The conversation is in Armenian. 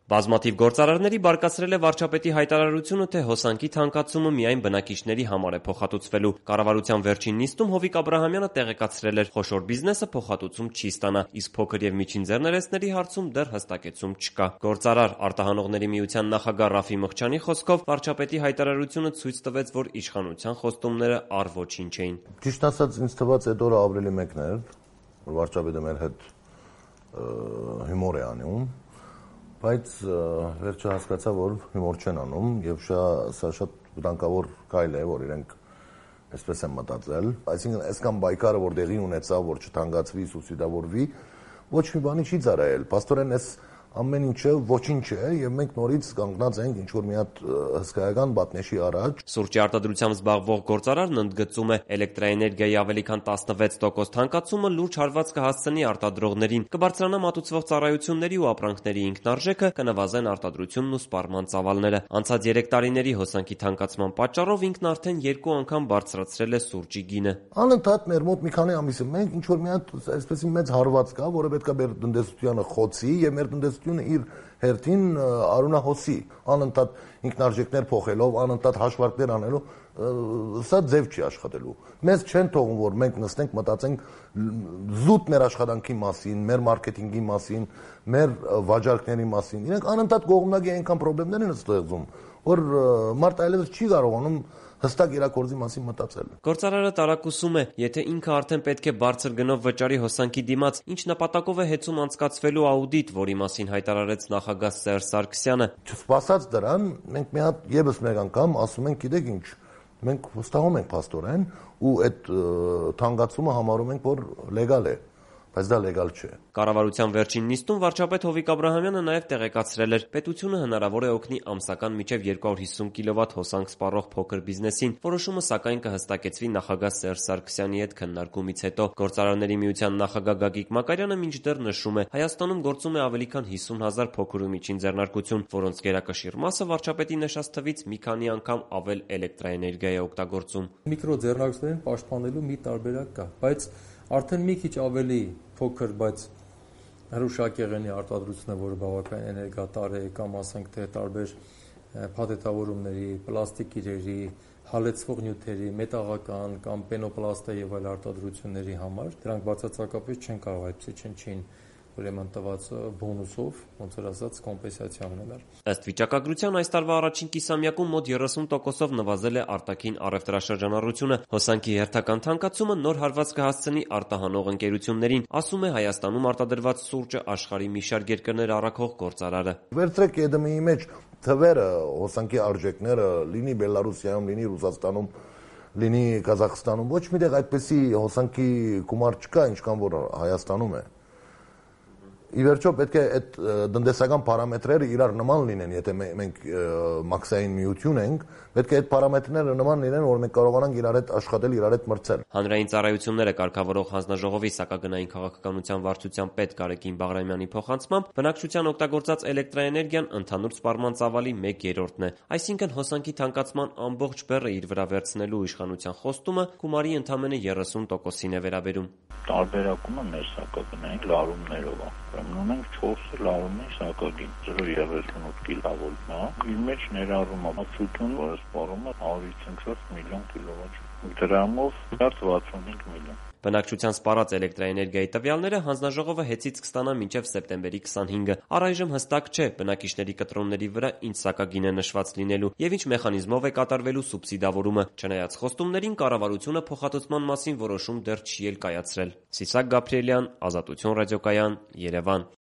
Բազմաթիվ գործարարների բարկացրել է վարչապետի հայտարարությունը, թե հոսանքի թանկացումը միայն բնակիչների համար է փոխհատուցվելու։ Կառավարության վերջին նիստում Հովիկ Աբրահամյանը տեղեկացրել էր, խոշոր բիզնեսը փոխհատուցում չի ստանա, իսկ փոքր եւ միջին ձեռներեցների հարցում դեռ հստակեցում չկա։ Գործարար արտահանողների միության նախագահ Ռաֆի Մղչյանի խոսքով վարչապետի հայտարարությունը ցույց տվեց, որ իշխանության խոստումները առ ոչինչ էին։ Ճիշտ ասած, ինձ թվաց այդ օրը ավելի մեկն էր, որ վարչապետը մեր հետ հումոր է անում, բայց վերջը հասկացա, որ հումոր չեն անում եւ սա շատ վտանգավոր քայլ է, որ իրենք այսպես են մտածել, այսինքն այսքան բայկարը, որ դեղի ունեցավ, որ չթանկացվի, սուբսիդավորվի, ոչ մի բանի չի ծառայել։ Պաստորեն այս ամեն ինչը ոչինչ է եւ մենք նորից կանգնած ենք ինչ որ մի հատ հսկայական բատնեշի առաջ։ Սուրճի արտադրությամբ զբաղվող գործարարն ընդգծում է, էլեկտրաէներգիայի ավելի քան 16% թանկացումը լուրջ հարված կհասցնի արտադրողներին, կբարձրանա մատուցվող ծառայությունների ու ապրանքների ինքնարժեքը, կնվազեն արտադրությունն ու սպառման ծավալները։ Անցած 3 տարիների հոսանքի թանկացման պատճառով ինքն արդեն 2 անգամ բարձրացրել է սուրճի գինը։ Անընդհատ մեր մոտ մի քանի ամիս է մենք ինչ որ մի հատ այսպեսի մեծ հարված կա, որը պետք է մեր տնտեսությանը խոցի եւ մեր տնտեսությունը իր հերթին արունահոսի, անընդհատ ինքնարժեքներ փոխելով, անընդհատ հաշվարկներ անելով, սա ձև չի աշխատելու։ Մեզ չեն թողում, որ մենք նստենք, մտածենք զուտ մեր աշխատանքի մասին, մեր մարքեթինգի մասին, մեր վաճառքների մասին։ Իրենք անընդհատ կողմնակի այնքան խնդիրներ են ստեղծում, որ մարդ այլևս չի կարողանում հստակ իրակորձի մասին մտածել։ Գործարարը տարակուսում է, եթե ինքը արդեն պետք է բարձր գնով վճարի հոսանքի դիմաց, ինչ նպատակով է հեծում անցկացվելու աուդիտ, որի մասին հայտարարեց նախագահ Սերժ Սարգսյանը։ Չսպասած դրան, մենք մի հատ եւս մեկ անգամ ասում ենք, գիտեք ինչ, մենք վստահում ենք փաստորեն ու այդ թանկացումը համարում ենք, որ լեգալ է, բայց դա լեգալ չէ։ Կառավարության վերջին նիստում վարչապետ Հովիկ Աբրահամյանը նաև տեղեկացրել էր, պետությունը հնարավոր է օգնի ամսական մինչև 250 կՎտ հոսանք սպառող փոքր բիզնեսին։ Որոշումը սակայն կհստակեցվի նախագահ Սերժ Սարգսյանի հետ քննարկումից հետո։ Գործարարների միության նախագահ Գագիկ Մակարյանը մինչդեռ նշում է, Հայաստանում գործում է ավելի քան 50,000 փոքր ու միջին ձեռնարկություն, որոնց գերակշիռ մասը վարչապետի նշած թվից մի քանի անգամ ավել էլեկտրաէներգիա է օգտագործում։ Միկրոձեռնարկություններին պաշտպանելու մի տարբերակ կա, բայց արդեն մի քիչ ավելի փոքր, բայց հրուշակեղենի արտադրությունը, որը բավական էներգատար է, կամ ասենք թե տարբեր փաթեթավորումների, պլաստիկ իրերի, հալեցվող նյութերի, մետաղական կամ պենոպլաստա եւ այլ արտադրությունների համար դրանք բացարձակապես չեն կարող այդպիսի չնչին ուրեմն տված բոնուսով, ոնց որ ասած, կոմպենսացիա ունենալ։ Ըստ վիճակագրության այս տարվա առաջին կիսամյակում մոտ 30%-ով նվազել է արտաքին առևտրաշրջանառությունը։ Հոսանքի հերթական թանկացումը նոր հարված կհասցնի արտահանող ընկերություններին, ասում է Հայաստանում արտադրված սուրճը աշխարհի մի շարք երկրներ առաքող գործարարը։ Վերցրեք ԵԴՄ-ի մեջ թվերը, հոսանքի արժեքները, լինի Բելարուսիայում, լինի Ռուսաստանում, լինի Ղազախստանում, ոչ միտեղ այդպեսի հոսանքի գումար չկա, ինչքան որ Հայաստանում է։ Ի վերջո պետք է այդ տնտեսական պարամետրերը իրար նման լինեն, եթե մենք մաքսային միություն ենք, պետք է այդ պարամետրները նման լինեն, որ մենք կարողանանք իրար հետ աշխատել, իրար հետ մրցել։ Հանրային ծառայությունները կարգավորող հանձնաժողովի սակագնային քաղաքականության վարչության պետ Գարեգին Բաղրամյանի փոխանցմամբ բնակչության օգտագործած էլեկտրաէներգիան ընդհանուր սպառման ծավալի 1/3-ն է, այսինքն հոսանքի թանկացման ամբողջ բեռը իր վրա վերցնելու իշխանության խոստումը գումարի ընդամենը 30%-ին է վերաբերում։ Տարբերակումը մեր սակագնային լարումներով է։ Ուրեմն ունենք 4 լարումների սակագին 0.38 կիլովոլտն է, իր մեջ ներառում է մաքսություն, որը սպառում է 154 միլիոն կիլովատ, դրամով 65 միլիոն։ Բնակչության սպառած էլեկտրաէներգիայի տվյալները հանձնաժողովը հեծից կստանա մինչև սեպտեմբերի 25-ը։ Առայժմ հստակ չէ բնակիչների կտրոնների վրա ինչ սակագին է նշված լինելու եւ ինչ մեխանիզմով է կատարվելու սուբսիդավորումը։ Չնայած խոստումներին, կառավարությունը փոխհատուցման մասին որոշում դեռ չի էլ կայացրել։ Սիսակ Գաբրիելյան, Ազատություն ռադիոկայան, Երևան։